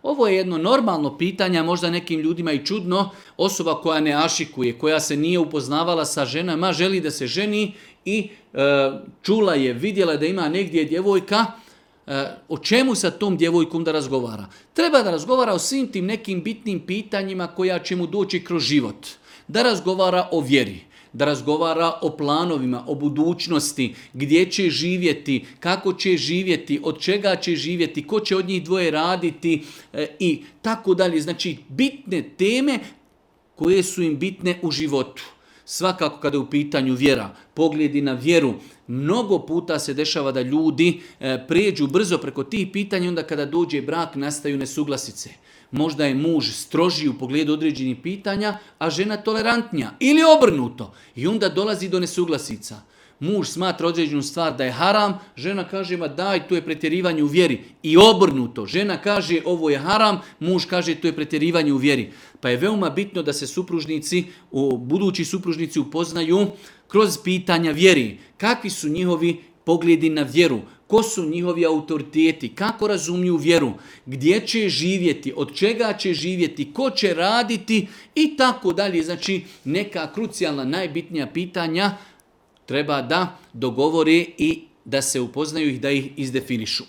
Ovo je jedno normalno pitanje, a možda nekim ljudima i čudno. Osoba koja ne ašikuje, koja se nije upoznavala sa ženama, želi da se ženi i čula je, vidjela da ima negdje djevojka, o čemu sa tom djevojkom da razgovara? Treba da razgovara o svim tim nekim bitnim pitanjima koja će mu doći kroz život. Da razgovara o vjeri, da razgovara o planovima, o budućnosti, gdje će živjeti, kako će živjeti, od čega će živjeti, ko će od njih dvoje raditi i tako dalje. Znači, bitne teme koje su im bitne u životu. Svakako kada je u pitanju vjera, pogledi na vjeru, mnogo puta se dešava da ljudi prijeđu brzo preko tih pitanja, onda kada dođe brak nastaju nesuglasice. Možda je muž strožiji u pogledu određenih pitanja, a žena tolerantnija ili obrnuto. I onda dolazi do nesuglasica. Muž smatra određenu stvar da je haram, žena kaže ma daj, to je pretjerivanje u vjeri. I obrnuto, žena kaže ovo je haram, muž kaže to je pretjerivanje u vjeri. Pa je veoma bitno da se budući supružnici upoznaju kroz pitanja vjeri. Kakvi su njihovi pogledi na vjeru? Ko su njihovi autoriteti? Kako razumiju vjeru? Gdje će živjeti? Od čega će živjeti? Ko će raditi? I tako dalje. Znači neka krucijalna, najbitnija pitanja treba da dogovore i da se upoznaju i da ih izdefinišu.